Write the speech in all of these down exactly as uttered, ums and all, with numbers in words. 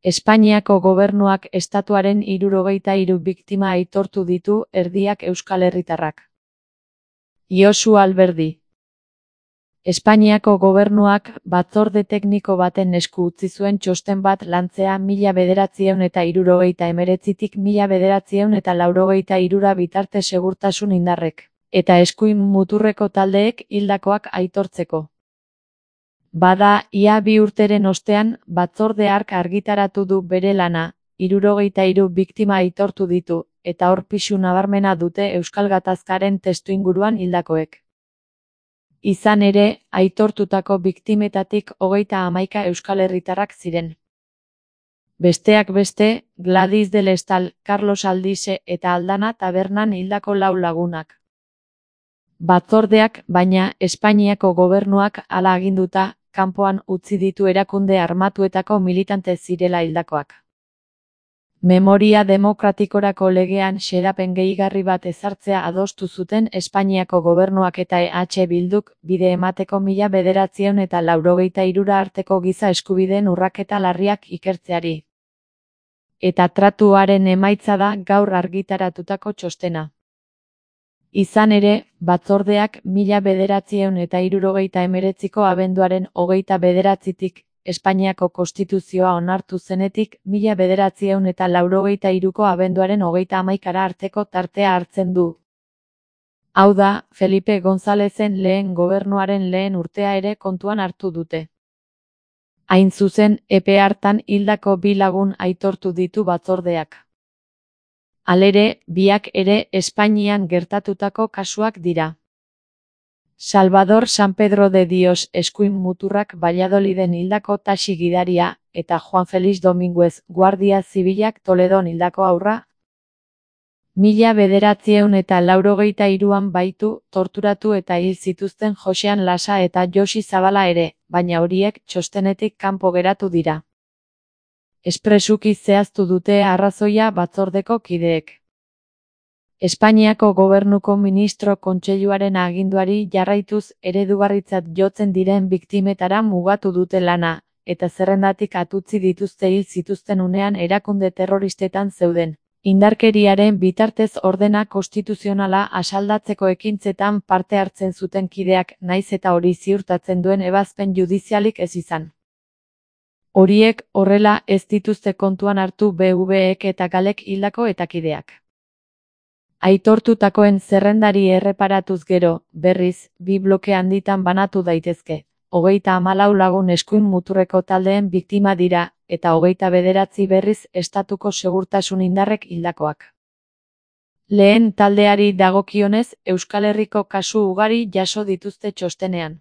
Espainiako gobernuak estatuaren hirurogeita hiru biktima aitortu ditu, erdiak euskal herritarrak. Josu Alberdi. Espainiako gobernuak batzorde tekniko baten esku utzi zuen txosten bat lantzea mila bederatziehun eta hirurogeita hemeretzitik mila bederatziehun eta laurogeita hirura bitarte segurtasun indarrek, eta eskuin muturreko taldeek hildakoak aitortzeko. Bada, ia bi urteren ostean, batzorde hark argitaratu du bere lana, hirurogeita hiru biktima aitortu ditu, eta hor pisu nabarmena dute euskal gatazkaren testuinguruan hildakoek. Izan ere, aitortutako biktimetatik hogeita hamaika euskal herritarrak ziren. Besteak beste, Gladys del Estal, Carlos Aldise eta Aldana tabernan hildako lau lagunak. Batzordeak, baina, Espainiako gobernuak hala aginduta, kanpoan utzi ditu erakunde armatuetako militante zirela hildakoak. Memoria demokratikorako legean xedapen gehigarri bat ezartzea adostu zuten Espainiako gobernuak eta E H Bilduk, bide emateko mila bederatziehun eta laurogeita hirura arteko giza eskubideen urraketa larriak ikertzeari. Eta tratuaren emaitza da gaur argitaratutako txostena. Izan ere, batzordeak mila bederatziehun eta hirurogeita hemeretziko abenduaren hogeita bederatzitik, Espainiako konstituzioa onartu zenetik, mila bederatziehun eta laurogeita hiruko abenduaren hogeita hamaikara arteko tartea hartzen du. Hau da, Felipe Gonzalezen lehen gobernuaren lehen urtea ere kontuan hartu dute. Hain zuzen, epe hartan hildako bi lagun aitortu ditu batzordeak. Halere, biak ere Espainian gertatutako kasuak dira. Salvador San Pedro de Dios eskuin muturrak Valladoliden hildako taxi gidaria, eta Juan Felix Dominguez guardia zibilak Toledon hildako haurra. Mila bederatziehun eta laurogeita hiruan baitu, torturatu eta hil zituzten Josean Lasa eta Josi Zabala ere, baina horiek txostenetik kanpo geratu dira. Espresuki zehaztu dute arrazoia batzordeko kideek. Espainiako gobernuko ministro kontseiluaren aginduari jarraituz eredugarritzat jotzen diren biktimetara mugatu dute lana, eta zerrendatik atutzi dituzte hil zituzten unean erakunde terroristetan zeuden. Indarkeriaren bitartez ordena konstituzionala asaldatzeko ekintzetan parte hartzen zuten kideak naiz eta hori ziurtatzen duen ebazpen judizialik ez izan. Horiek horrela ez dituzte kontuan hartu B V ek eta galek hildako eta kideak. Aitortutakoen zerrendari erreparatuz gero, berriz, bi bloke handitan banatu daitezke. Hogeita hamalau lagun eskuin muturreko taldeen biktima dira, eta hogeita bederatzi berriz estatuko segurtasun indarrek hildakoak. Lehen taldeari dagokionez, Euskal Herriko kasu ugari jaso dituzte txostenean.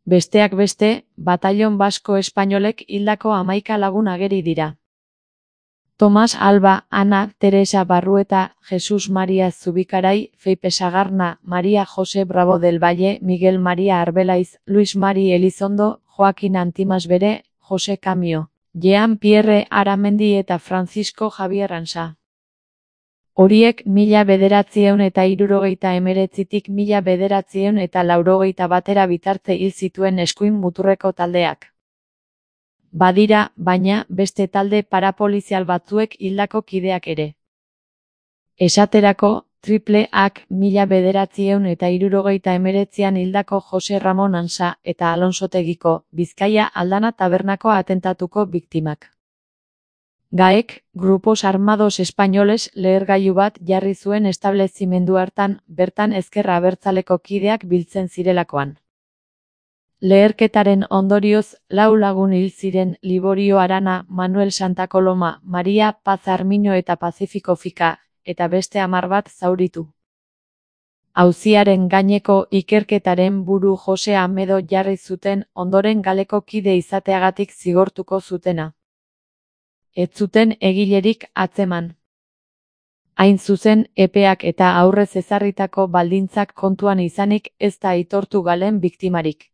Besteak beste, Batallon Basko Espainolek hildako hamaika lagun ageri dira. Tomas Alba, Ana, Teresa Barrueta, Jesus Maria Zubikarai, Feipe Sagarna, Maria Jose Bravo del Valle, Miguel Maria Arbelaiz, Luis Mari Elizondo, Joaquin Antimasbere, Jose Camio, Jean Pierre Aramendi eta Francisco Javier Ansa. Horiek mila bederatziehun eta hirurogeita hemeretzitik mila bederatziehun eta laurogeita batera bitarte hil zituen eskuin muturreko taldeak. Badira, baina, beste talde parapolizial batzuek hildako kideak ere. Esaterako, Triple Ak mila bederatziehun eta hirurogeita hemeretzian hildako Jose Ramon Ansa eta Alonsotegiko, Bizkaia Aldana tabernako atentatuko biktimak. Gaek, Grupos Armados Españoles lehergailu bat jarri zuen establezimendu hartan, bertan ezker abertzaleko kideak biltzen zirelakoan. Leherketaren ondorioz, lau lagun hil ziren Liborio Arana, Manuel Santa Coloma, Maria Paz Armiño eta Pacífico Fika, eta beste hamar bat zauritu. Auziaren gaineko ikerketaren buru Jose Amedo jarri zuten ondoren galeko kide izateagatik zigortuko zutena. Ez zuten egilerik atzeman. Hain zuzen, epeak eta aurrez ezarritako baldintzak kontuan izanik ez da aitortu galen biktimarik.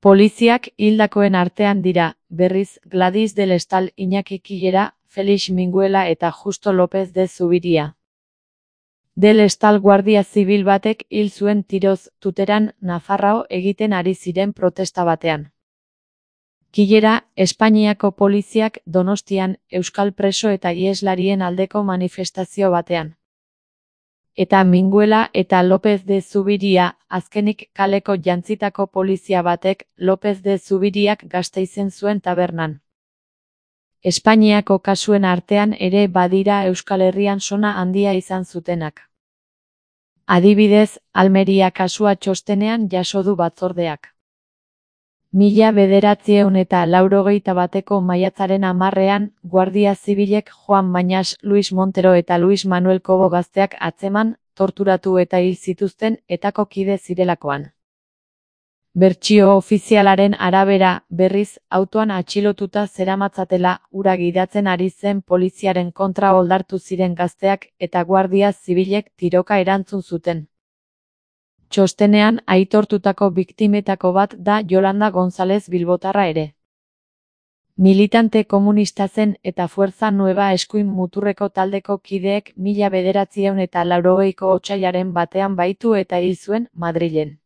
Poliziak hildakoen artean dira, berriz, Gladys del Estal, Iñaki Killera, Felix Minguela eta Justo López de Zubiria. Del Estal guardia zibil batek hil zuen tiroz, Tuteran, Nafarrao egiten ari ziren protesta batean. Kilera, Espainiako poliziak Donostian euskal preso eta iheslarien aldeko manifestazio batean. Eta Minguela eta López de Zubiria, azkenik kaleko jantzitako polizia batek López de Zubiriak Gasteizen zuen tabernan. Espainiako kasuen artean ere badira Euskal Herrian sona handia izan zutenak. Adibidez, Almeria kasua txostenean jaso du batzordeak. Mila bederatziehun eta laurogeita bateko maiatzaren hamarrean, Guardia Zibilek Juan Mañas, Luis Montero eta Luis Manuel Cobo gazteak atzeman, torturatu eta hil zituzten etako kide zirelakoan. Bertsio ofizialaren arabera, berriz, autoan atxilotuta zeramatzatela, hura gidatzen ari zen poliziaren kontra oldartu ziren gazteak eta Guardia Zibilek tiroka erantzun zuten. Txostenean aitortutako biktimetako bat da Yolanda González bilbotarra ere. Militante komunista zen eta Fuerza Nueva eskuin muturreko taldeko kideek mila bederatziehun eta laurogeiko otsailaren batean baitu eta hil zuen Madrilen.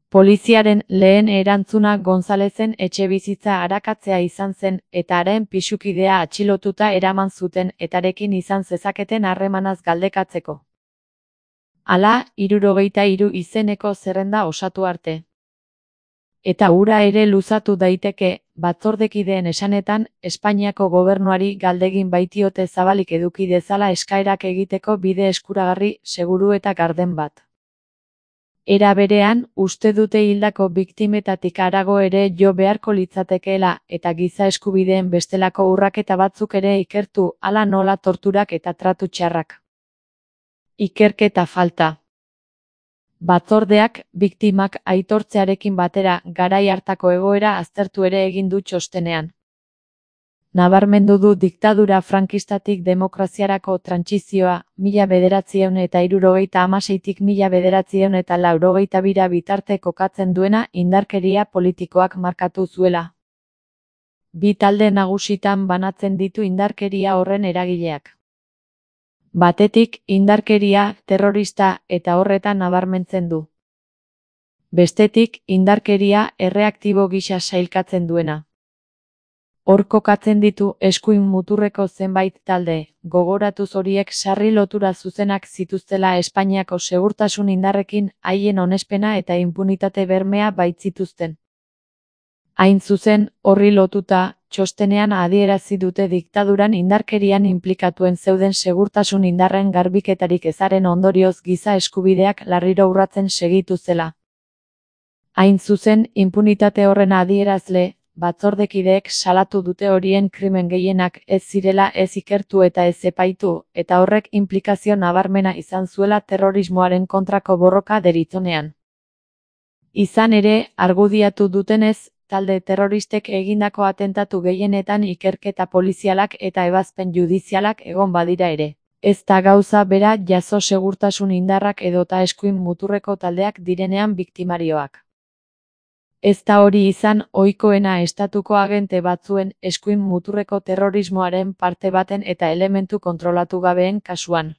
Poliziaren lehen erantzuna Gonzalezen etxebizitza arakatzea izan zen eta haren pisukidea atxilotuta eraman zuten etarekin izan zezaketen harremanaz galdekatzeko. Hala, hirurogeita hiru izeneko zerrenda osatu arte. Eta hura ere luzatu daiteke, batzordekideen esanetan, Espainiako gobernuari galdegin baitiote zabalik eduki dezala eskaerak egiteko bide eskuragarri, seguru eta garden bat. Era berean, uste dute hildako biktimetatik harago ere jo beharko litzatekeela eta giza eskubideen bestelako urraketa batzuk ere ikertu, hala nola torturak eta tratu txarrak. Ikerketa falta. Batzordeak, biktimak aitortzearekin batera garai hartako egoera aztertu ere egin du txostenean. Nabarmendu du diktadura frankistatik demokraziarako trantsizioa, mila bederatziehun eta hirurogeita hamaseitik mila bederatziehun eta laurogeita bira bitarte kokatzen duena indarkeria politikoak markatu zuela. Bi talde nagusitan banatzen ditu indarkeria horren eragileak. Batetik, indarkeria, terrorista eta horretan nabarmentzen du. Bestetik, indarkeria, erreaktibo gisa sailkatzen duena. Hor kokatzen ditu eskuin muturreko zenbait talde, gogoratuz horiek sarri lotura zuzenak zituztela Espainiako segurtasun indarrekin haien onespena eta inpunitate bermea baitzituzten. Hain zuzen, horri lotuta, txostenean adierazi dute diktaduran indarkerian inplikatuen zeuden segurtasun indarren garbiketarik ezaren ondorioz giza eskubideak larriro urratzen segitu zela. Hain zuzen, inpunitate horren adierazle, batzordekideek salatu dute horien krimen gehienak ez zirela ez ikertu eta ez epaitu, eta horrek inplikazio nabarmena izan zuela terrorismoaren kontrako borroka deritzonean. Izan ere, argudiatu dutenez, talde terroristek egindako atentatu gehienetan ikerketa polizialak eta ebazpen judizialak egon badira ere. Ez da gauza bera jaso segurtasun indarrak edota eskuin muturreko taldeak direnean biktimarioak. Ez da hori izan ohikoena estatuko agente batzuen eskuin muturreko terrorismoaren parte baten eta elementu kontrolatu gabeen kasuan.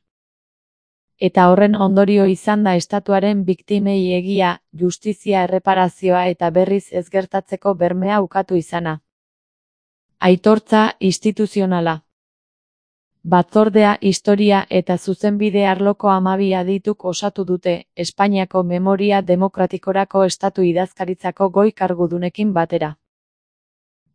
Eta horren ondorio izan da estatuaren biktimei egia, justizia erreparazioa eta berriz ez gertatzeko bermea ukatu izana. Aitortza instituzionala. Batzordea historia eta zuzenbide arloko hamabi adituk osatu dute, Espainiako memoria demokratikorako estatu idazkaritzako goi kargudunekin batera.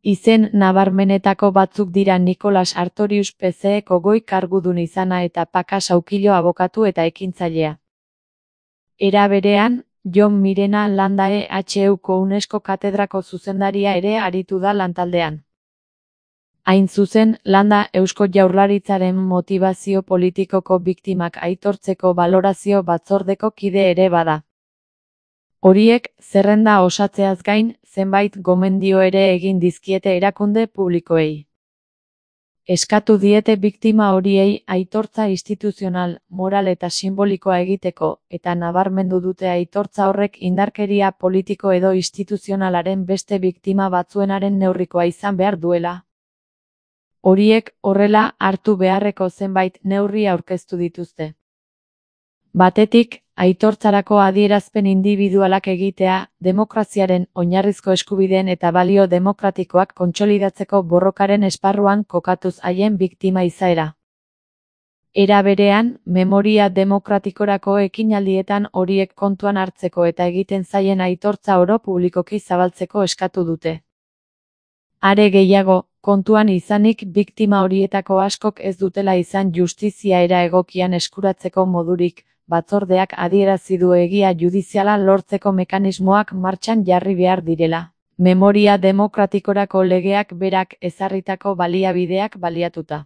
Izen nabarmenetako batzuk dira Nicolas Artorius P C eko goi kargudun izana eta Paka Saukilo abokatu eta ekintzailea. Era berean, Jon Mirena Landa E H Uko UNESCO katedrako zuzendaria ere aritu da lantaldean. Hain zuzen, Landa Eusko Jaurlaritzaren motibazio politikoko biktimak aitortzeko balorazio batzordeko kide ere bada. Horiek, zerrenda osatzeaz gain, zenbait gomendio ere egin dizkiete erakunde publikoei. Eskatu diete biktima horiei aitortza instituzional, moral eta simbolikoa egiteko, eta nabarmendu dute aitortza horrek indarkeria politiko edo instituzionalaren beste biktima batzuenaren neurrikoa izan behar duela. Horiek, horrela, hartu beharreko zenbait neurri aurkeztu dituzte. Batetik, Aitortzarako adierazpen indibidualak egitea, demokraziaren, oinarrizko eskubideen eta balio demokratikoak kontsolidatzeko borrokaren esparruan kokatuz haien biktima izaera. Era berean, memoria demokratikorako ekinaldietan horiek kontuan hartzeko eta egiten zaien aitortza oro publikoki zabaltzeko eskatu dute. Are gehiago, kontuan izanik biktima horietako askok ez dutela izan justizia era egokian eskuratzeko modurik, batzordeak adierazi du egia judiziala lortzeko mekanismoak martxan jarri behar direla. Memoria demokratikorako legeak berak ezarritako baliabideak baliatuta.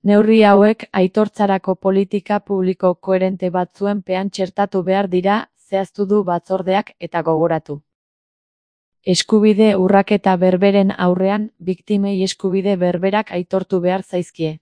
Neurri hauek aitortzarako politika publiko koherente batzuen pean txertatu behar dira, zehaztu du batzordeak eta gogoratu. Eskubide urraketa berberen aurrean, biktimei eskubide berberak aitortu behar zaizkie.